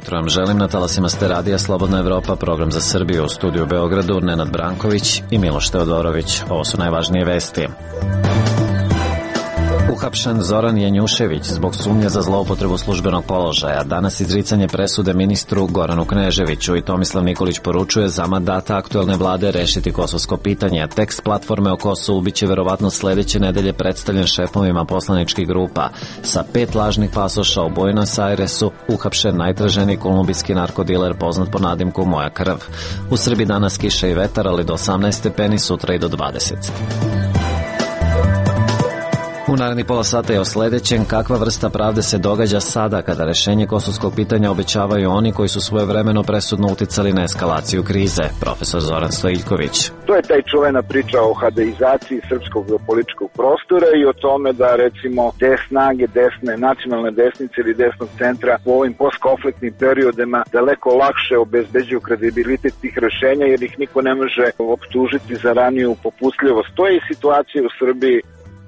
jutro vam želim, na talasima ste radija Slobodna Evropa, program za Srbiju, u studiju u Beogradu Nenad Branković i Miloš Teodorović. Ovo su najvažnije vesti. Uhapšen Zoran Janjušević zbog sumnje za zloupotrebu službenog položaja. Danas izricanje presude ministru Goranu Kneževiću i Tomislav Nikolić poručuje za mandata aktuelne vlade rešiti kosovsko pitanje. Tekst platforme o Kosovu biće verovatno sledeće nedelje predstavljen šefovima poslaničkih grupa. Sa 5 lažnih pasoša u Buenos Airesu uhapšen najtraženiji kolumbijski narkodiler poznat po nadimku Moja krv. U Srbiji danas kiša i vetar, ali do 18 stepeni, sutra i do 20. U narednih pola sata je o sledećem: kakva vrsta pravde se događa sada kada rešenje kosovskog pitanja obećavaju oni koji su svojevremeno presudno uticali na eskalaciju krize. Profesor Zoran Stojiljković. To je taj čuvena priča o hadeizaciji srpskog političkog prostora i o tome da recimo te snage desne, nacionalne desnice ili desnog centra u ovim postkonfliktnim periodima daleko lakše obezbeđuju kredibilitet tih rešenja jer ih niko ne može optužiti za raniju popustljivost. To je i situacija u Srbiji.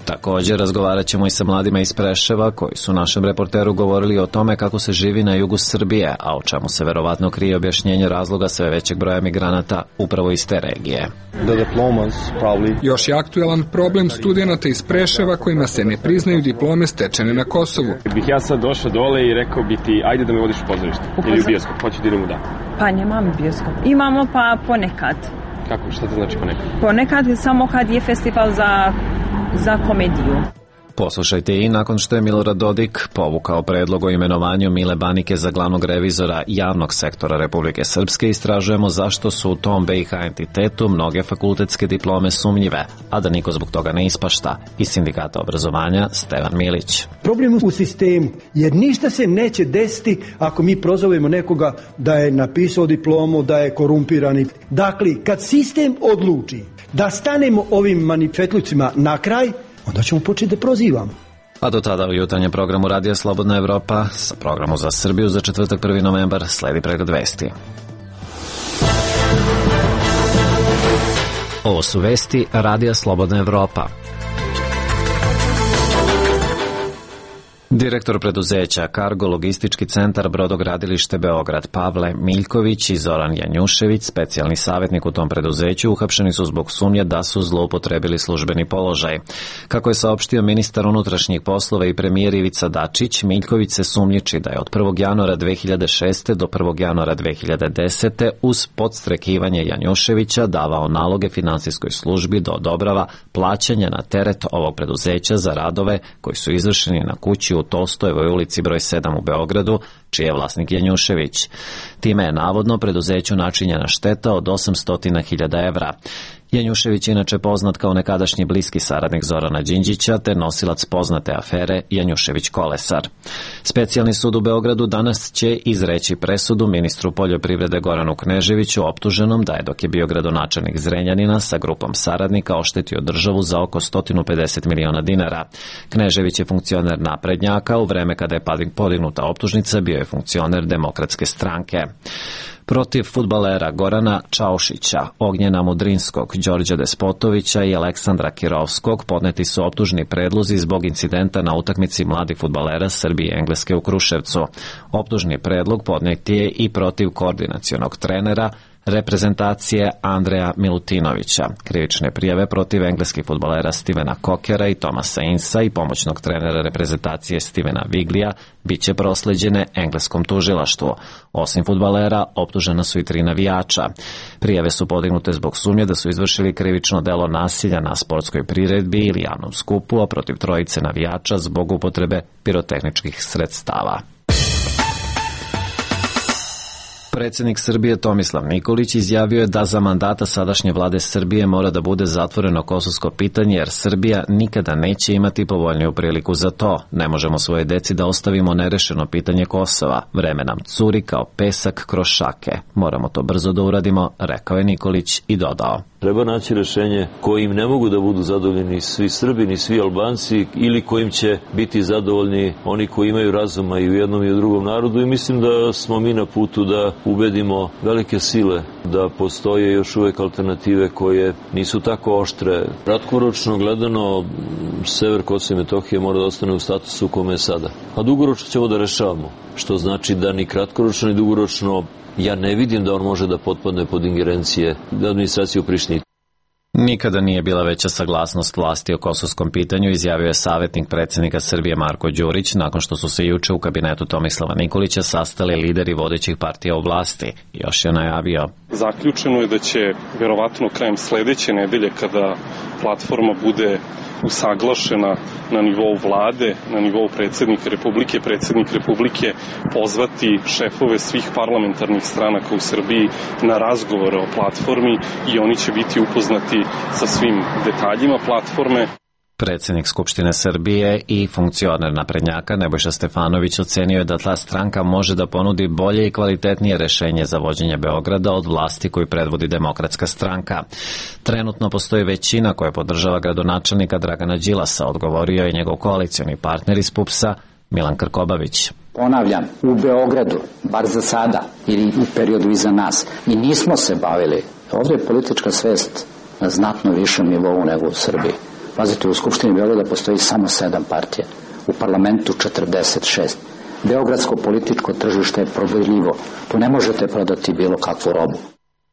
Također razgovarat ćemo i sa mladima iz Preševa koji su našem reporteru govorili o tome kako se živi na jugu Srbije, a o čemu se verovatno krije objašnjenje razloga sve većeg broja migranata upravo iz te regije. Još je aktuelan problem studenata iz Preševa kojima se ne priznaju diplome stečene na Kosovu. Bih ja sad došao dole i rekao bi ti ajde da me vodiš u pozorište ili u bioskop, hoću da idem u dan. Pa nemam bioskop. Imamo pa ponekad. Kako? Šta to znači ponekad? Ponekad samo kad je festival za komediju. Poslušajte i nakon što je Milorad Dodik povukao predlog o imenovanju Mile Banike za glavnog revizora javnog sektora Republike Srpske, istražujemo zašto su u tom BiH entitetu mnoge fakultetske diplome sumnjive, a da niko zbog toga ne ispašta. Iz Sindikata obrazovanja Stevan Milić. Problem u sistemu, jer ništa se neće desiti ako mi prozovemo nekoga da je napisao diplomu, da je korumpirani. Dakle, kad sistem odluči da stanemo ovim manifetlucima na kraj, onda ćemo početi da prozivamo. A do tada u jutarnjem programu Radija Slobodna Evropa sa programom za Srbiju za četvrtak 1. novembar sledi pregled vesti. Ovo su vesti Radija Slobodna Evropa. Direktor preduzeća Kargo logistički centar Brodogradilište Beograd Pavle Miljković i Zoran Janjušević, specijalni savjetnik u tom preduzeću, uhapšeni su zbog sumnje da su zloupotrebili službeni položaj. Kako je saopštio ministar unutrašnjih poslova i premijer Ivica Dačić, Miljković se sumnjiči da je od 1. januara 2006. do 1. januara 2010. uz podstrekivanje Janjuševića davao naloge finansijskoj službi da odobrava plaćanje na teret ovog preduzeća za radove koji su izvršeni na kući u Tolstojevoj ulici broj 7 u Beogradu, čiji je vlasnik Janjušević. Time je navodno preduzeću načinjena šteta od 800.000 evra. Janjušević je inače poznat kao nekadašnji bliski saradnik Zorana Đinđića te nosilac poznate afere Janjušević Kolesar. Specijalni sud u Beogradu danas će izreći presudu ministru poljoprivrede Goranu Kneževiću, optuženom da je dok je bio gradonačelnik Zrenjanina sa grupom saradnika oštetio državu za oko 150 miliona dinara. Knežević je funkcioner naprednjaka, u vreme kada je podignuta optužnica bio je funkcioner Demokratske stranke. Protiv fudbalera Gorana Čaušića, Ognjena Mudrinskog, Đorđa Despotovića i Aleksandra Kirovskog podneti su optužni predlozi zbog incidenta na utakmici mladih fudbalera Srbije i Engleske u Kruševcu. Optužni predlog podnet je i protiv koordinacionog trenera reprezentacije Andreja Milutinovića. Krivične prijave protiv engleskih fudbalera Stevena Kokera i Tomasa Insa i pomoćnog trenera reprezentacije Stevena Viglija biće prosleđene engleskom tužilaštvu. Osim fudbalera, optužena su i 3 navijača. Prijave su podignute zbog sumnje da su izvršili krivično delo nasilja na sportskoj priredbi ili javnom skupu, a protiv 3 navijača zbog upotrebe pirotehničkih sredstava. Predsjednik Srbije Tomislav Nikolić izjavio je da za mandata sadašnje vlade Srbije mora da bude zatvoreno kosovsko pitanje jer Srbija nikada neće imati povoljniju priliku za to. Ne možemo svoje deci da ostavimo nerešeno pitanje Kosova. Vreme nam curi kao pesak kroz šake. Moramo to brzo da uradimo, rekao je Nikolić i dodao. Treba naći rešenje kojim ne mogu da budu zadovoljni svi Srbi ni svi Albanci ili kojim će biti zadovoljni oni koji imaju razuma i u jednom i u drugom narodu i mislim da smo mi na putu da ubedimo velike sile da postoje još uvek alternative koje nisu tako oštre. Kratkoročno gledano, sever Kosova i Metohije mora da ostane u statusu u kome je sada. A dugoročno ćemo da rešavamo, što znači da ni kratkoročno ni dugoročno ja ne vidim da on može da potpadne pod ingerencije administracije u Prištini. Nikada nije bila veća saglasnost vlasti o kosovskom pitanju, izjavio je savjetnik predsjednika Srbije Marko Đurić nakon što su se juče u kabinetu Tomislava Nikolića sastali lideri vodećih partija u vlasti. Još je najavio. Zaključeno je da će verovatno krajem sledeće nedelje, kada platforma bude usaglašena na nivou vlade, na nivou predsjednik Republike pozvati šefove svih parlamentarnih stranaka u Srbiji na razgovore o platformi i oni će biti upoznati sa svim detaljima platforme. Predsjednik Skupštine Srbije i funkcioner naprednjaka Nebojša Stefanović ocenio je da ta stranka može da ponudi bolje i kvalitetnije rešenje za vođenje Beograda od vlasti koju predvodi Demokratska stranka. Trenutno postoji većina koja podržava gradonačelnika Dragana Đilasa, odgovorio je njegov koalicioni partner iz PUPS-a Milan Krkobabić. Ponavljam, u Beogradu, bar za sada ili u periodu iza nas, i nismo se bavili. Ovdje je politička svest na znatno višem nivou nego u Srbiji. Pazite, u Skupštini Beograda postoji samo 7 partija, u parlamentu 46. Beogradsko političko tržište je probirljivo. Tu ne možete prodati bilo kakvu robu.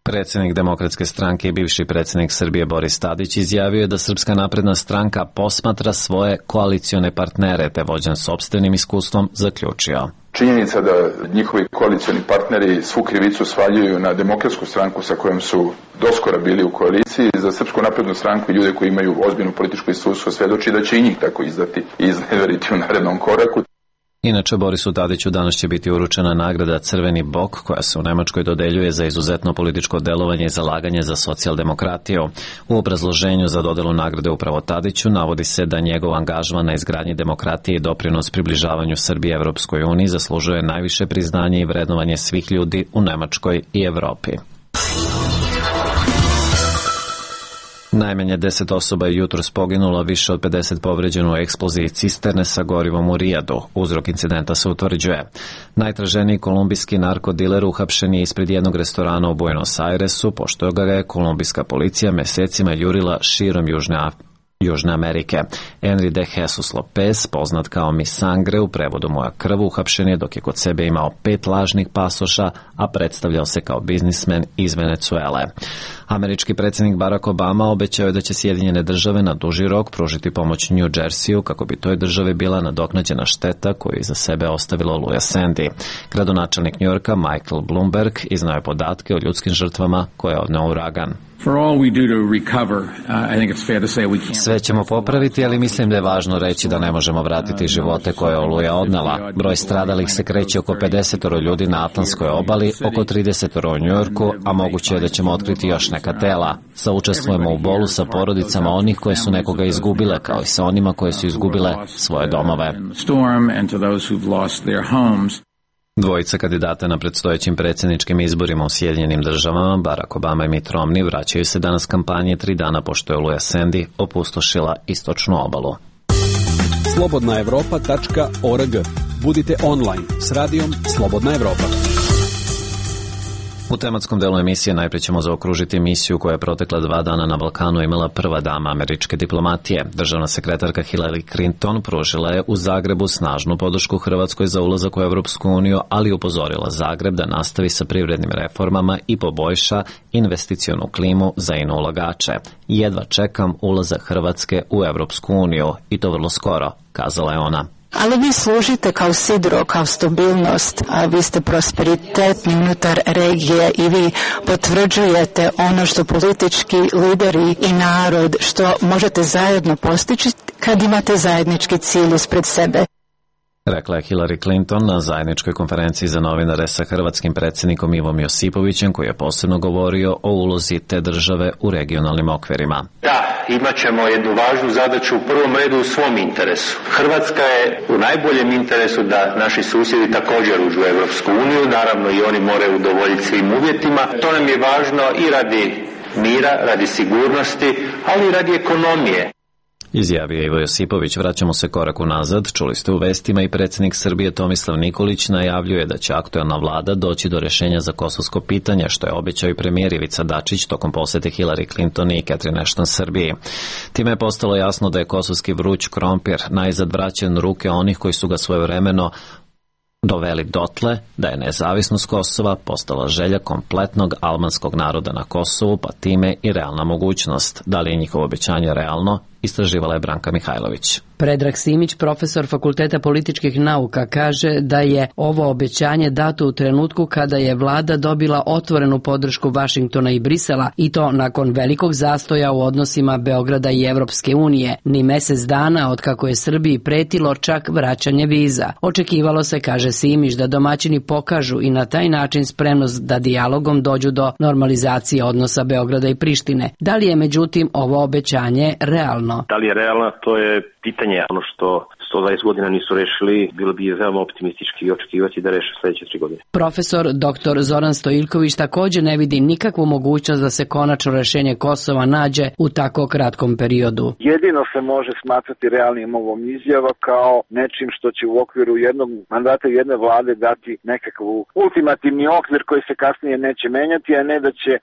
Predsjednik Demokratske stranke i bivši predsjednik Srbije Boris Tadić izjavio je da Srpska napredna stranka posmatra svoje koalicione partnere, te vođen sopstvenim iskustvom zaključio. Činjenica da njihovi koalicioni partneri svu krivicu svaljuju na Demokratsku stranku sa kojom su doskora bili u koaliciji, za Srpsku naprednu stranku i ljude koji imaju ozbiljno političko iskustvo svedoči da će i njih tako izdati i izneveriti u narednom koraku. Inače, Borisu Tadiću danas će biti uručena nagrada Crveni bok, koja se u Nemačkoj dodeljuje za izuzetno političko delovanje i zalaganje za socijaldemokratiju. U obrazloženju za dodelu nagrade upravo Tadiću navodi se da njegov angažman na izgradnji demokratije i doprinos približavanju Srbije Evropskoj uniji zaslužuje najviše priznanje i vrednovanje svih ljudi u Nemačkoj i Evropi. Najmanje 10 osoba je jutros poginulo, više od 50 povređeno u eksploziji cisterne sa gorivom u Rijadu. Uzrok incidenta se utvrđuje. Najtraženiji kolumbijski narkodiler uhapšen je ispred jednog restorana u Buenos Airesu, pošto ga je kolumbijska policija mesecima jurila širom Južne Amerike. Henry de Jesus Lopez, poznat kao Mi Sangre, u prevodu Moja krv, uhapšen je dok je kod sebe imao 5 lažnih pasoša, a predstavljao se kao biznismen iz Venecuele. Američki predsjednik Barack Obama obećao je da će Sjedinjene države na duži rok pružiti pomoć New Jerseyu kako bi toj državi bila nadoknađena šteta koju je iza sebe ostavilo Oluja Sandy. Gradonačelnik Njujorka Michael Bloomberg iznao je podatke o ljudskim žrtvama koje je odneo uragan. Sve ćemo popraviti, ali mislim da je važno reći da ne možemo vratiti živote koje je Oluja odnela. Broj stradalih se kreće oko 50 ljudi na Atlantskoj obali, oko 30 u Njujorku, a moguće je da ćemo otkriti još neka tela. Saučestvujemo u bolu sa porodicama onih koje su nekoga izgubile, kao i sa onima koje su izgubile svoje domove. Dvojica kandidata na predstojećim predsjedničkim izborima u Sjedinjenim državama, Barack Obama i Mitt Romney, vraćaju se danas kampanje 3 dana pošto je Oluja Sandy opustošila istočnu obalu. slobodnaevropa.org. Budite online s radijom Slobodna Evropa. U tematskom delu emisije najprije ćemo zaokružiti misiju koja je protekla 2 dana na Balkanu imala prva dama američke diplomatije. Državna sekretarka Hillary Clinton pružila je u Zagrebu snažnu podršku Hrvatskoj za ulazak u Evropsku uniju, ali upozorila Zagreb da nastavi sa privrednim reformama i poboljša investicionu klimu za ulagače. Jedva čekam ulazak Hrvatske u Evropsku uniju i to vrlo skoro, kazala je ona. Ali vi služite kao sidro, kao stabilnost, a vi ste prosperitetni unutar regije i vi potvrđujete ono što politički lideri i narod što možete zajedno postići kad imate zajednički cilj ispred sebe. Rekla je Hillary Clinton na zajedničkoj konferenciji za novinare sa hrvatskim predsjednikom Ivom Josipovićem, koji je posebno govorio o ulozi te države u regionalnim okvirima. Da, imat ćemo jednu važnu zadaću u prvom redu u svom interesu. Hrvatska je u najboljem interesu da naši susjedi također uđu u Evropsku uniju, naravno i oni moraju udovoljiti svim uvjetima. To nam je važno i radi mira, radi sigurnosti, ali i radi ekonomije. Izjavio Ivo Josipović. Vraćamo se korak unazad. Čuli ste u vestima i predsjednik Srbije Tomislav Nikolić najavljuje da će aktuelna vlada doći do rješenja za kosovsko pitanje, što je obećao i premijer Ivica Dačić tokom posete Hillary Clinton i Catherine Ashton Srbiji. Time je postalo jasno da je kosovski vruć krompir najzad vraćen u ruke onih koji su ga svojevremeno doveli dotle da je nezavisnost Kosova postala želja kompletnog albanskog naroda na Kosovu, pa time i realna mogućnost. Da li je njihovo obećanje realno? Istraživala je Branka Mihajlović. Predrag Simić, profesor Fakulteta političkih nauka, kaže da je ovo obećanje dato u trenutku kada je vlada dobila otvorenu podršku Vašingtona i Brisela, i to nakon velikog zastoja u odnosima Beograda i Evropske unije, ni mesec dana od kako je Srbiji pretilo čak vraćanje viza. Očekivalo se, kaže Simić, da domaćini pokažu i na taj način spremnost da dijalogom dođu do normalizacije odnosa Beograda i Prištine. Da li je međutim ovo obećanje realno? Da li je realno, to je pitanje. Ono što 120 godina nisu rešili, bilo bi veoma optimistički očekivati da reše sledeće 3 godine. Profesor dr. Zoran Stojiljković također ne vidi nikakvu mogućnost da se konačno rešenje Kosova nađe u tako kratkom periodu. Jedino se može smatrati realnim ovom izjava kao nečim što će u okviru jednog mandata jedne vlade dati nekakav ultimativni okvir koji se kasnije neće menjati, a ne da će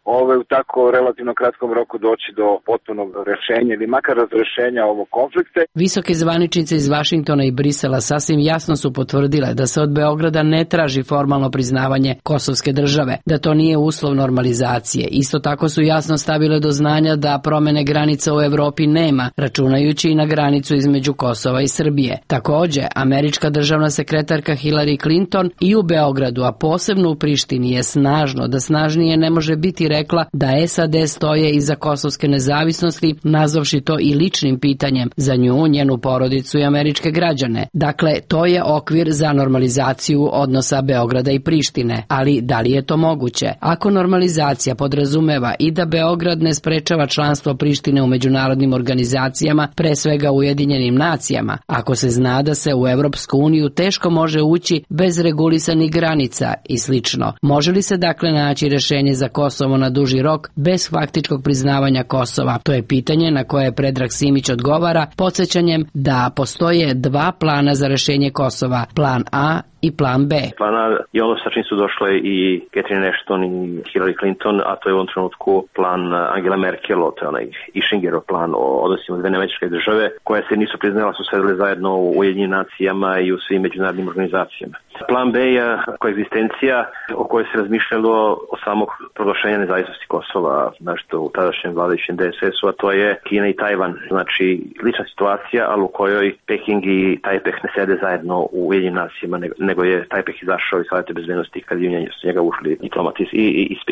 u tako relativno kratkom roku doći do potpunog rešenja ili makar razrešenja ovog konflikta. Visoke zvaničnice iz Vašingtona i Brisela sasvim jasno su potvrdile da se od Beograda ne traži formalno priznavanje kosovske države, da to nije uslov normalizacije. Isto tako su jasno stavile do znanja da promene granica u Evropi nema, računajući i na granicu između Kosova i Srbije. Također, američka državna sekretarka Hillary Clinton i u Beogradu, a posebno u Prištini, je snažno, da snažnije ne može biti, rekla da SAD stoje iza kosovske nezavisnosti, nazvavši to i ličnim pitanjem za nju, njenu porodicu i američke građane. Dakle, to je okvir za normalizaciju odnosa Beograda i Prištine. Ali da li je to moguće? Ako normalizacija podrazumeva i da Beograd ne sprečava članstvo Prištine u međunarodnim organizacijama, pre svega u Ujedinjenim nacijama, ako se zna da se u Evropsku uniju teško može ući bez regulisanih granica i slično, može li se dakle naći rešenje za Kosovo na duži rok bez faktičkog priznavanja Kosova? To je pitanje na koje Predrag Simić odgovara podsjećanjem da postoje dva plana za rešenje Kosova, plan A i plan B. Plan A je ono sa čim su došle i Catherine Ashton i Hillary Clinton, a to je u ovom trenutku plan Angela Merkel, to je onaj Ishingerov plan o odnosima dve američke države, koje se nisu priznala, su sedeli zajedno u Ujedinjenim nacijama i u svim međunarodnim organizacijama. Plan B je koegzistencija o kojoj se razmišljalo o samog proglašenja nezavisnosti Kosova, znači u tadašnjem vladajućem DSS-u, a to je Kina i Tajvan. Znači, lična situacija, ali u kojoj Peking i Tajpeh ne sede zajedno u Ujedinjenim nacijama, nego je Tajpeh izašao iz Savjeta bezbednosti kad je s njega ušli diplomati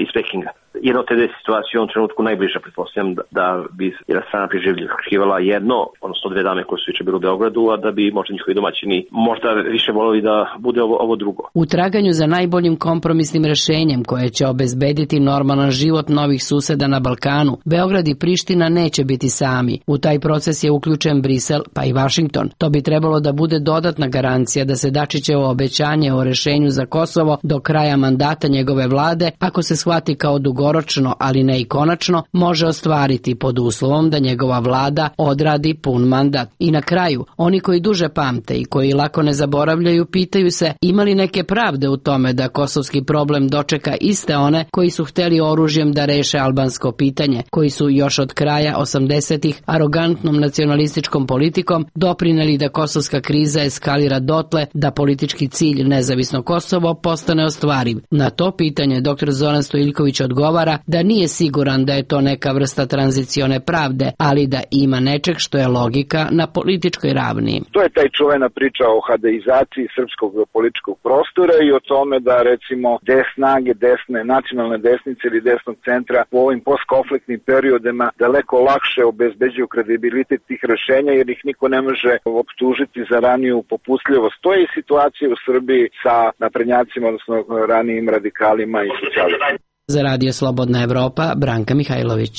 iz Pekinga. Jedna od te dve situacije u ovom trenutku najbliža, pretpostavljam, da bi jedna strana priželjkivala jedno, odnosno dve dame koje su juče bile u Beogradu, a da bi možda njihovi domaćini možda više voljeli da bude ovo drugo. U traganju za najboljim kompromisnim rešenjem koje će obezbediti normalan život novih suseda na Balkanu, Beograd i Priština neće biti sami. U taj proces je uključen Brisel pa i Vašington. To bi trebalo da bude dodatna garancija da se Dačićevo obećanje o rešenju za Kosovo do kraja mandata njegove vlade, ako se shvati kao dugoročno, ali ne i konačno, može ostvariti pod uslovom da njegova vlada odradi pun mandat. I na kraju, oni koji duže pamte i koji lako ne zaboravljaju, pitaju se ima li neke pravde u tome da kosovski problem dočeka iste one koji su hteli oružjem da reše albansko pitanje, koji su još od kraja 80-ih arogantnom nacionalističkom politikom doprineli da kosovska kriza eskalira dotle da politički cilj nezavisno Kosovo postane ostvariv. Na to pitanje dr. Zoran Stojiljković odgovara da nije siguran da je to neka vrsta tranzicione pravde, ali da ima nečeg što je logika na političkoj ravni. To je taj čuvena priča o hadeizaciji srpskog političkog prostora i o tome da recimo snage desne, nacionalne desnice ili desnog centra u ovim postkonfliktnim periodima daleko lakše obezbeđuju kredibilitet tih rešenja jer ih niko ne može optužiti za raniju popustljivost. To je i situacija u Srbiji sa naprednjacima, odnosno ranijim radikalima i socijalistima. Za Radio Slobodna Evropa, Branka Mihajlović.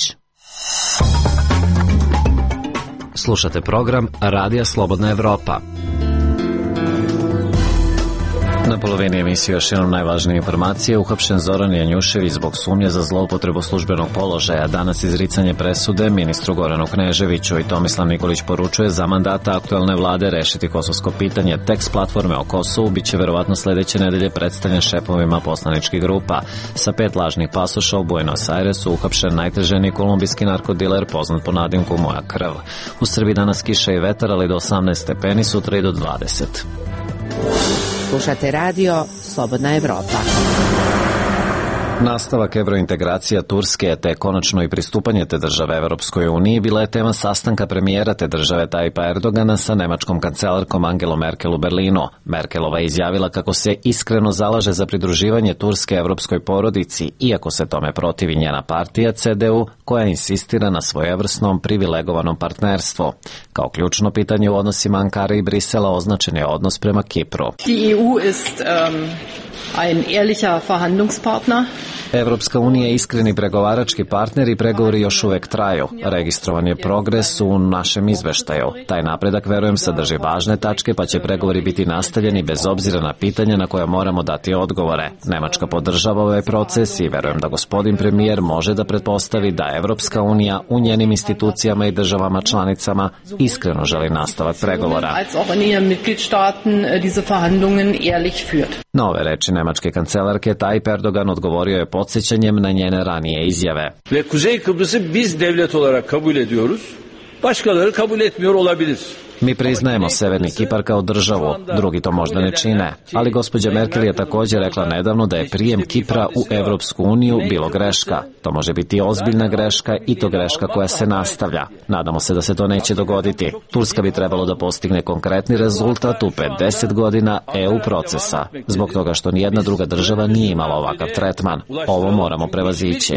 Slušate program Radija Slobodna Evropa. Na polovini emisije još jednom najvažnije informacije. Uhapšen Zoran Janjušević zbog sumnje za zloupotrebu službenog položaja. Danas izricanje presude ministru Goranu Kneževiću i Tomislav Nikolić poručuje za mandata aktuelne vlade rešiti kosovsko pitanje. Tekst platforme o Kosovu biće verovatno sledeće nedelje predstavljen šefovima poslaničkih grupa. Sa 5 lažnih pasoša u Buenos Airesu uhapšen najteženi kolumbijski narkodiler poznat po nadimku Moja krv. U Srbiji danas kiša i vetar, ali do 18 stepeni, sutra i do 20. Slušate radio Slobodna Evropa. Nastavak evrointegracija Turske te konačno i pristupanje te države Evropskoj uniji bila je tema sastanka premijera te države Tajpa Erdogana sa nemačkom kancelarkom Angelom Merkel u Berlinu. Merkelova je izjavila kako se iskreno zalaže za pridruživanje Turske evropskoj porodici, iako se tome protivi njena partija CDU, koja insistira na svojevrsnom privilegovanom partnerstvu. Kao ključno pitanje u odnosima Ankare i Brisela označen je odnos prema Kipru. Die EU ist ein ehrlicher Verhandlungspartner. Evropska unija je iskreni pregovarački partner i pregovori još uvek traju. Registrovan je progres u našem izveštaju. Taj napredak, verujem, sadrži važne tačke, pa će pregovori biti nastavljeni bez obzira na pitanja na koja moramo dati odgovore. Nemačka podržava ovaj proces i verujem da gospodin premijer može da pretpostavi da Evropska unija u njenim institucijama i državama članicama iskreno želi nastavak pregovora. Na ove reči nemačke kancelarke Tayyip Erdogan odgovorio je podsjećanjem na njene ranije izjave. Ve Kuzey Kıbrıs'ı biz devlet olarak kabul ediyoruz. Başkaları kabul etmiyor olabilir. Mi priznajemo Severni Kipar kao državu, drugi to možda ne čine, ali gospođa Merkel je također rekla nedavno da je prijem Kipra u Evropsku uniju bilo greška. To može biti ozbiljna greška i to greška koja se nastavlja. Nadamo se da se to neće dogoditi. Turska bi trebalo da postigne konkretni rezultat u 50 godina EU procesa, zbog toga što nijedna druga država nije imala ovakav tretman. Ovo moramo prevazići.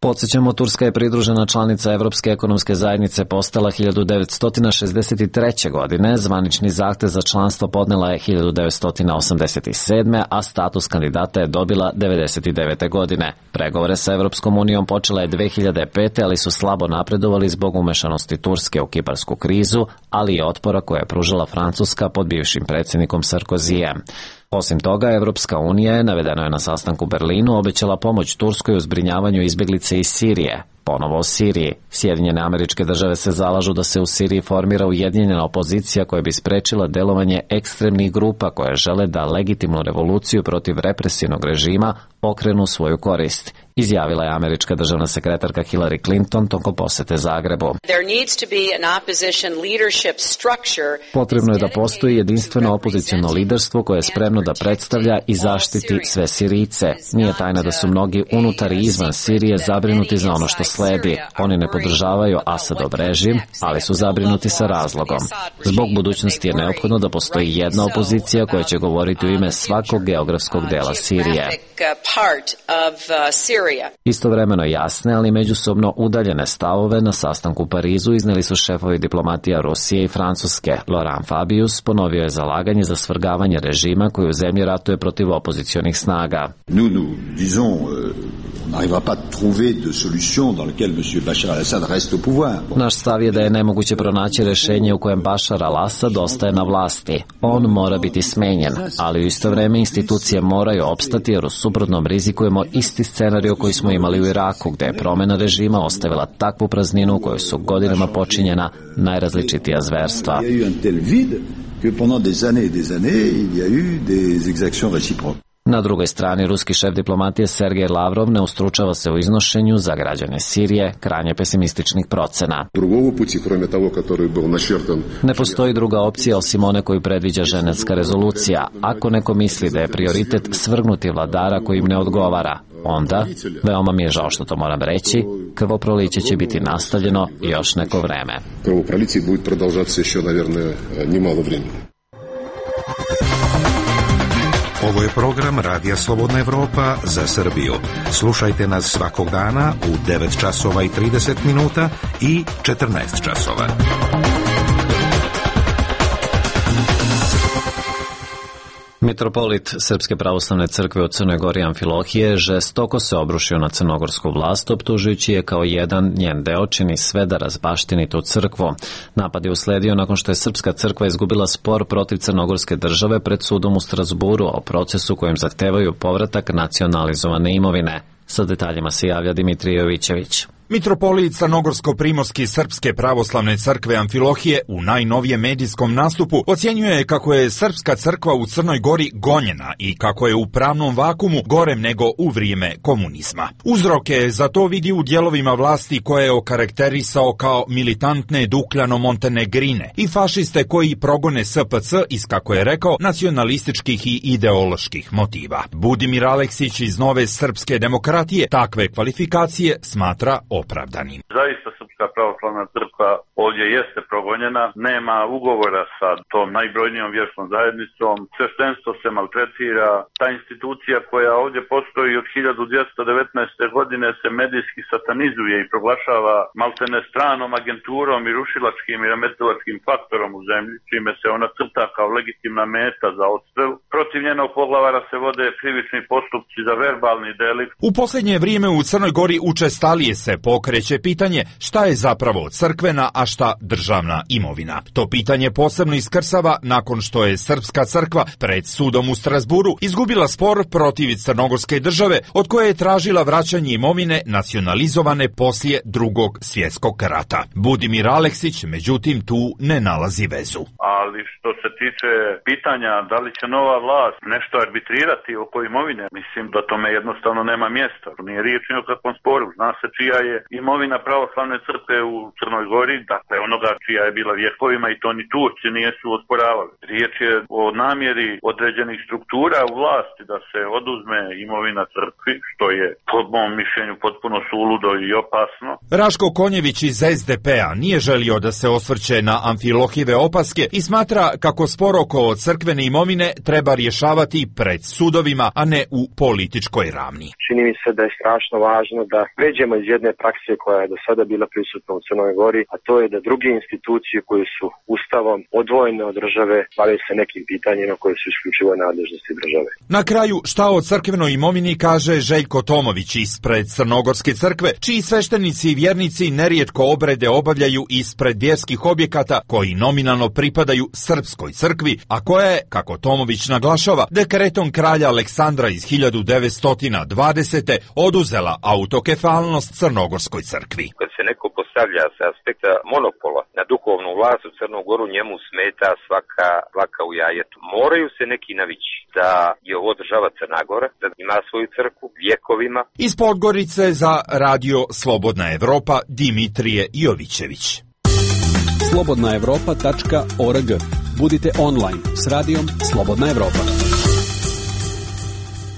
Podsjećamo, Turska je pridružena članica Evropske ekonomske zajednice postala 1963. godine, zvanični zahtev za članstvo podnela je 1987. a status kandidata je dobila 1999. godine. Pregovore sa Evropskom unijom počela je 2005. ali su slabo napredovali zbog umešanosti Turske u kiparsku krizu, ali i otpora koje je pružila Francuska pod bivšim predsjednikom Sarkozijem. Osim toga, Evropska unija je, navedeno je na sastanku u Berlinu, obećala pomoć Turskoj u zbrinjavanju izbjeglice iz Sirije. Ponovo o Siriji. Sjedinjene Američke Države se zalažu da se u Siriji formira ujedinjena opozicija koja bi sprečila delovanje ekstremnih grupa koje žele da legitimnu revoluciju protiv represivnog režima okrenu u svoju korist, izjavila je američka državna sekretarka Hillary Clinton tokom posete Zagrebu. Potrebno je da postoji jedinstveno opoziciono liderstvo koje je spremno da predstavlja i zaštiti sve Sirijce. Nije tajna da su mnogi unutar i izvan Sirije zabrinuti za ono što sledi. Oni ne podržavaju Asadov režim, ali su zabrinuti sa razlogom. Zbog budućnosti je neophodno da postoji jedna opozicija koja će govoriti u ime svakog geografskog dela Sirije. Istovremeno jasne, ali međusobno udaljene stavove na sastanku u Parizu izneli su šefovi diplomatija Rusije i Francuske. Laurent Fabius ponovio je zalaganje za svrgavanje režima koji u zemlji ratuje protiv opozicionih snaga. Naš stav je da je nemoguće pronaći rešenje u kojem Bašar al-Asad ostaje na vlasti. On mora biti smenjen, ali u isto vreme institucije moraju opstati jer u suprotnom rizikujemo isti scenarij koji smo imali u Iraku, gde je promjena režima ostavila takvu prazninu u kojoj su godinama počinjena najrazličitija zverstva. Na drugoj strani, ruski šef diplomatije Sergej Lavrov ne ustručava se u iznošenju za građane Sirije krajnje pesimističnih procena. Ne postoji druga opcija osim one koju predviđa Ženevska rezolucija. Ako neko misli da je prioritet svrgnuti vladara koji im ne odgovara, onda, veoma mi je žao što to moram reći, krvoproliće će biti nastavljeno još neko vreme. Krvoproliće bude продолжаться еще, наверное, немало времени. Ovo je program Radija Slobodna Evropa za Srbiju. Slušajte nas svakog dana u 9 časova i 30 minuta i 14 časova. Mitropolit Srpske pravoslavne crkve u Crnoj Gori Amfilohije žestoko se obrušio na crnogorsku vlast, optužujući je kao jedan njen deo čini sve da razbaštini tu crkvu. Napad je usledio nakon što je Srpska crkva izgubila spor protiv crnogorske države pred sudom u Strasburu o procesu kojim zahtevaju povratak nacionalizovane imovine. Sa detaljima se javlja Dimitrije Jovićević. Mitropolit Crnogorsko-primorski Srpske pravoslavne crkve Amfilohije u najnovijem medijskom nastupu ocjenjuje kako je Srpska crkva u Crnoj Gori gonjena i kako je u pravnom vakumu gorem nego u vrijeme komunizma. Uzroke za to vidi u dijelovima vlasti koje je okarakterisao kao militantne dukljano-montenegrine i fašiste koji progone SPC iz, kako je rekao, nacionalističkih i ideoloških motiva. Budimir Aleksić iz Nove srpske demokratije takve kvalifikacije smatra opravdanim. Zaista Srpska pravoslavna crkva ovdje jeste progonjena, nema ugovora sa tom najbrojnijom vjerskom zajednicom, sveštenstvo se maltretira, ta institucija koja ovdje postoji od 1219. godine se medijski satanizuje i proglašava maltene stranom agenturom i rušilačkim i remetilačkim faktorom u zemlji, čime se ona crta kao legitimna meta za odstrel. Protiv njenog poglavara se vode krivični postupci za verbalni delikt. U posljednje vrijeme u Crnoj Gori učestalije se pokreće pitanje šta je zapravo crkvena, a šta državna imovina. To pitanje posebno iskrsava nakon što je Srpska crkva pred sudom u Strasburu izgubila spor protiv crnogorske države od koje je tražila vraćanje imovine nacionalizovane poslije Drugog svjetskog rata. Budimir Aleksić međutim tu ne nalazi vezu. Ali što se tiče pitanja da li će nova vlast nešto arbitrirati oko imovine, mislim da tome jednostavno nema mjesta. Nije riječ ni o kakvom sporu. Zna se čija je imovina pravoslavne crkve u Crnoj Gori, dakle onoga čija je bila vjekovima i to ni Turci nisu osporavali. Riječ je o namjeri određenih struktura u vlasti da se oduzme imovina crkvi, što je po mom mišljenju potpuno suludo i opasno. Raško Konjević iz SDP-a nije želio da se osvrće na Amfilohive opaske i smatra kako spor oko crkvene imovine treba rješavati pred sudovima, a ne u političkoj ravni. Čini mi se da je strašno važno da pređemo iz jedne prakse koja je do sada bila prisutna u Crnoj Gori, a to je da druge institucije koje su ustavom odvojene od države bave se nekim pitanjima koje su isključivo nadležnosti države. Na kraju, šta o crkvenoj imovini kaže Željko Tomović ispred Crnogorske crkve, čiji sveštenici i vjernici nerijetko obrede obavljaju ispred vjerskih objekata koji nominalno pripadaju Srpskoj crkvi, a koja je, kako Tomović naglašava, dekretom kralja Aleksandra iz 1920. oduzela autokefalnost Crnogorskoj crkvi. Kad se neko postavlja sa aspekta monopola na duhovnu vlast u Crnu Goru, njemu smeta svaka dlaka u jajetu. Moraju se neki navići da je ovo država Crna Gora, da ima svoju crkvu vjekovima. Iz Podgorice za Radio Slobodna Evropa Dimitrije Jovićević. slobodnaevropa.org. Budite online s radijom Slobodna Evropa.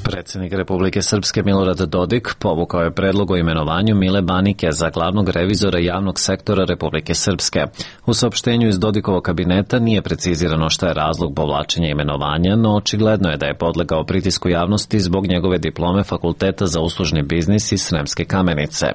Predsjednik Republike Srpske Milorad Dodik povukao je predlog o imenovanju Mile Banike za glavnog revizora javnog sektora Republike Srpske. U saopštenju iz Dodikovog kabineta nije precizirano šta je razlog povlačenja imenovanja, no očigledno je da je podlegao pritisku javnosti zbog njegove diplome Fakulteta za uslužni biznis iz Sremske Kamenice.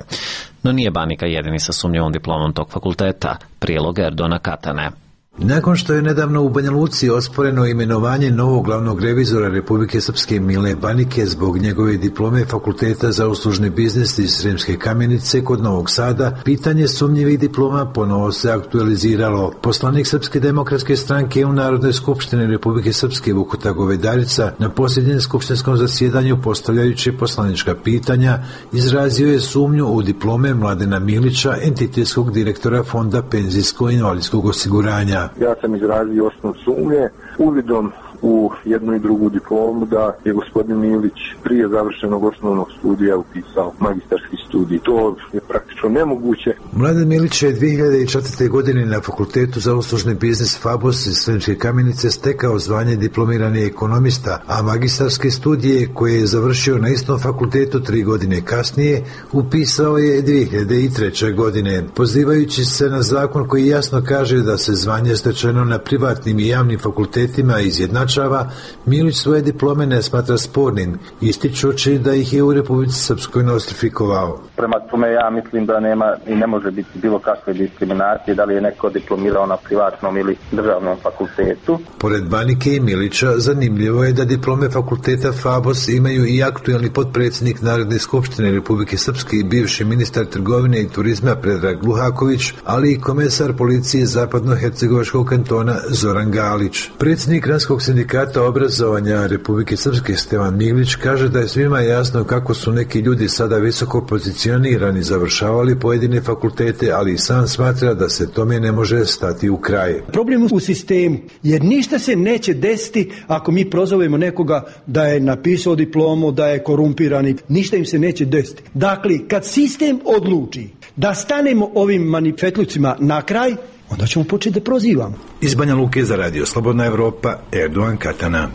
No nije Banika jedini sa sumnjivom diplomom tog fakulteta. Prilog Erdona Katane. Nakon što je nedavno u Banja Luci osporeno imenovanje novog glavnog revizora Republike Srpske Mile Banike zbog njegove diplome Fakulteta za uslužni biznis iz Sremske Kamenice kod Novog Sada, pitanje sumnjivih diploma ponovo se aktualiziralo. Poslanik Srpske demokratske stranke u Narodnoj skupštini Republike Srpske Vukuta Govedarica na posljednjem skupštinskom zasjedanju postavljajući poslanička pitanja izrazio je sumnju u diplome Mladena Milića, entitetskog direktora Fonda penzijsko-invalidskog osiguranja. Ja sam izrazio osnovnu sumnje uvidom u jednu i drugu diplomu da je gospodin Milić prije završenog osnovnog studija upisao magistarski studij. To je praktično nemoguće. Mladen Milić je 2004. godine na Fakultetu za uslužni biznis FABOS iz Sremske Kamenice stekao zvanje diplomirani ekonomista, a magistarske studije koje je završio na istom fakultetu 3 godine kasnije upisao je 2003. godine. Pozivajući se na zakon koji jasno kaže da se zvanje stečeno na privatnim i javnim fakultetima izjednačuje označava, Milić svoje diplome ne smatra spornim, ističući da ih je u Republici Srpskoj nostrifikovao. Prema tome ja mislim da nema i ne može biti bilo kakve diskriminacije, da li je neko diplomirao na privatnom ili državnom fakultetu. Pored Banike i Milića, zanimljivo je da diplome fakulteta FABOS imaju i aktuelni potpredsjednik Narodne skupštine Republike Srpske i bivši ministar trgovine i turizma Predrag Luhaković, ali i komesar policije Zapadno-Hercegovačkog kantona Zoran Galić. Predsjednik Granskog sindikata obrazovanja Republike Srpske Stevan Miglić kaže da je svima jasno kako su neki ljudi sada visoko pozicionirani završavali pojedine fakultete, ali i sam smatra da se tome ne može stati u kraj. Problem u sistemu, jer ništa se neće desiti ako mi prozovemo nekoga da je napisao diplomu, da je korumpirani, ništa im se neće desiti. Dakle, kad sistem odluči da stanemo ovim manifetlucima na kraj, onda ćemo početi da prozivamo. Iz Banja Luke za Radio Slobodna Evropa, Erdogan Katana.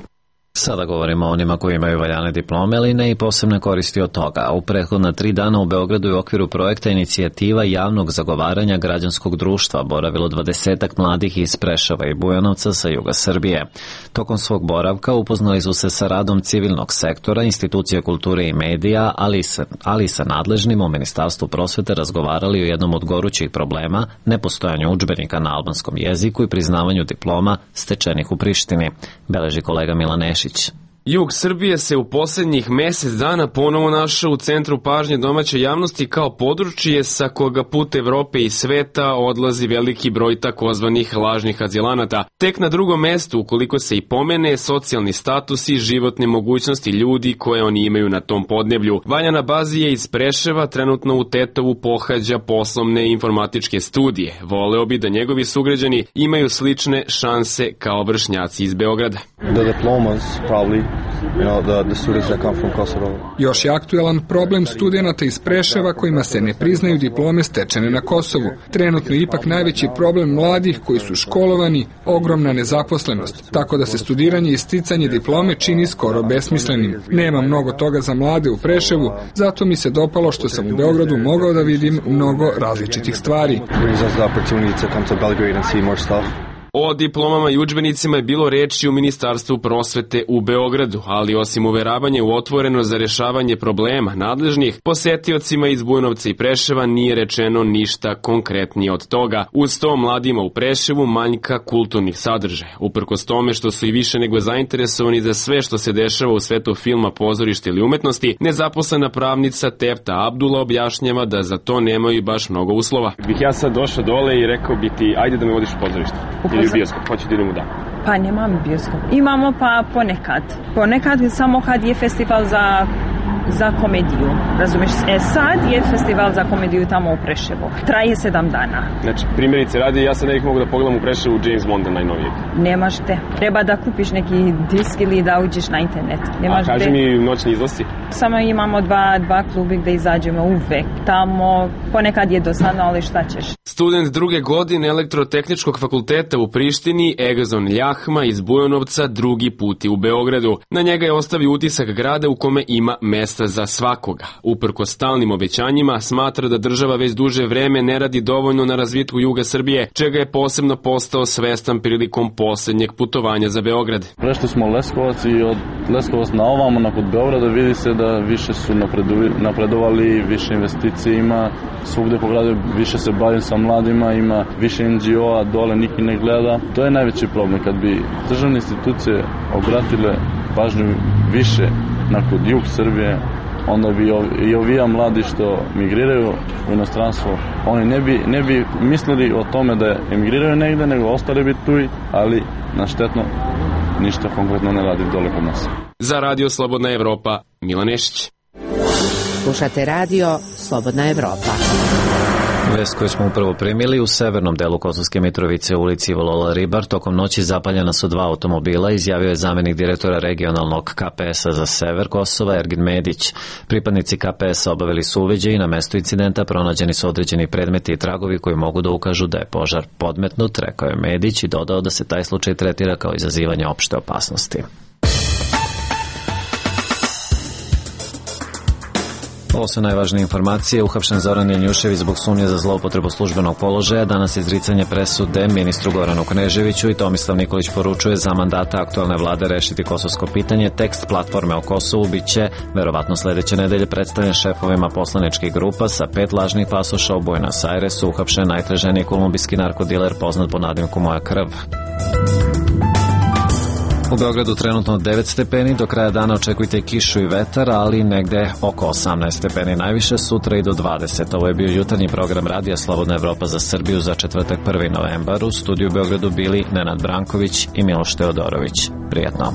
Sada govorimo o onima koji imaju valjane diplome, ali ne i posebne koristi od toga. U prethodna 3 dana u Beogradu je u okviru projekta Inicijativa javnog zagovaranja građanskog društva boravilo 20-ak mladih iz Preševa i Bujanovca sa juga Srbije. Tokom svog boravka upoznali su se sa radom civilnog sektora, institucija kulture i medija, ali i sa nadležnim u Ministarstvu prosvete razgovarali o jednom od gorućih problema, nepostojanju udžbenika na albanskom jeziku i priznavanju diploma stečenih u Prištini, beleži kolega Milan Nešić. Jug Srbije se u posljednjih mjesec dana ponovo našao u centru pažnje domaće javnosti kao područje sa koga put Evrope i sveta odlazi veliki broj takozvanih lažnih azilanata. Tek na drugom mjestu, ukoliko se i pomene, socijalni status i životne mogućnosti ljudi koje oni imaju na tom podneblju. Vanja Bazije iz Preševa trenutno u Tetovu pohađa poslovne informatičke studije. Voleo bi da njegovi sugrađani imaju slične šanse kao vršnjaci iz Beograda. Još je aktuelan problem studenata iz Preševa kojima se ne priznaju diplome stečene na Kosovu. Trenutno je ipak najveći problem mladih koji su školovani, ogromna nezaposlenost, tako da se studiranje i sticanje diplome čini skoro besmislenim. Nema mnogo toga za mlade u Preševu, zato mi se dopalo što sam u Beogradu mogao da vidim mnogo različitih stvari. O diplomama i udžbenicima je bilo reči u Ministarstvu prosvete u Beogradu, ali osim uveravanja u otvoreno za rješavanje problema nadležnih, posetiocima iz Bujanovca i Preševa nije rečeno ništa konkretnije od toga. Uz to mladima u Preševu manjka kulturnih sadržaja. Uprkos tome što su i više nego zainteresovani za sve što se dešava u svetu filma, pozorišta ili umetnosti, nezaposlena pravnica Tefta Abdula objašnjava da za to nemaju baš mnogo uslova. Bih ja sad došao dole i rekao bi ti, ajde da me vodiš u pozorište. Ili bioskop, hoću da idemo da. Pa nemamo bioskop. Imamo pa ponekad. Ponekad samo kad je festival za komediju. Razumiješ? Sad je festival za komediju tamo u Preševu. Traje 7 dana. Znači, primjerice radi, ja sad ne bih mogu da pogledam u Preševu James Bonda najnovijeg. Nemaš te. Treba da kupiš neki disk ili da uđeš na internet. Nemaš a kaži mi noćni izlasci? Samo imamo dva klubi gde izađemo uvek. Tamo ponekad je dosadno, ali šta ćeš? Student 2. godine Elektrotehničkog fakulteta u Prištini, Egazon Ljahma iz Bujanovca, drugi put je u Beogradu. Na njega je ostavio utisak grada u kome ima mesta za svakoga. Uprkos stalnim obećanjima, smatra da država već duže vreme ne radi dovoljno na razvitku juga Srbije, čega je posebno postao svestan prilikom posljednjeg putovanja za Beograd. Prešli smo Leskovac i od Leskovac na ovamo, nakon Beograda, vidi se da više su napredovali, više investicije ima, svugde po gradu više se bavim sa mladima, ima više NGO-a, dole niki ne gleda. To je najveći problem. Kad bi državne institucije obratile pažnju više nakon jug Srbije, onda bi i ovija mladi što migriraju u inostranstvo, oni ne bi mislili o tome da emigriraju negde, nego ostali bi tu, ali na štetno ništa konkretno ne radi dole kod nas. Za Radio Slobodna Evropa, Milan Nešić. Slušate Radio Slobodna Evropa. Vest koju smo upravo primili, u severnom delu Kosovske Mitrovice u ulici Volola Ribar tokom noći zapaljena su 2 automobila, izjavio je zamjenik direktora regionalnog KPS-a za sever Kosova Ergin Medić. Pripadnici KPS-a obavili su uviđaj i na mestu incidenta pronađeni su određeni predmeti i tragovi koji mogu da ukažu da je požar podmetnut, rekao je Medić i dodao da se taj slučaj tretira kao izazivanje opšte opasnosti. Ovo su najvažnije informacije. Uhapšen Zoran Janjušević zbog sumnje za zloupotrebu službenog položaja. Danas izricanje presude ministru Goranu Kneževiću i Tomislav Nikolić poručuje za mandata aktualne vlade rešiti kosovsko pitanje. Tekst platforme o Kosovu biće verovatno sledeće nedelje predstavljen šefovima poslaničkih grupa. Sa 5 lažnih pasoša u Buenos Airesu uhapšen najtraženiji kolumbijski narkodiler poznat pod nadimkom Moja krv. U Beogradu trenutno 9 stepeni, do kraja dana očekujte kišu i vetar, ali negde oko 18 stepeni najviše, sutra i do 20. Ovo je bio jutarnji program Radija Slobodna Evropa za Srbiju za četvrtak 1. novembar. U studiju u Beogradu bili Nenad Branković i Miloš Teodorović. Prijatno.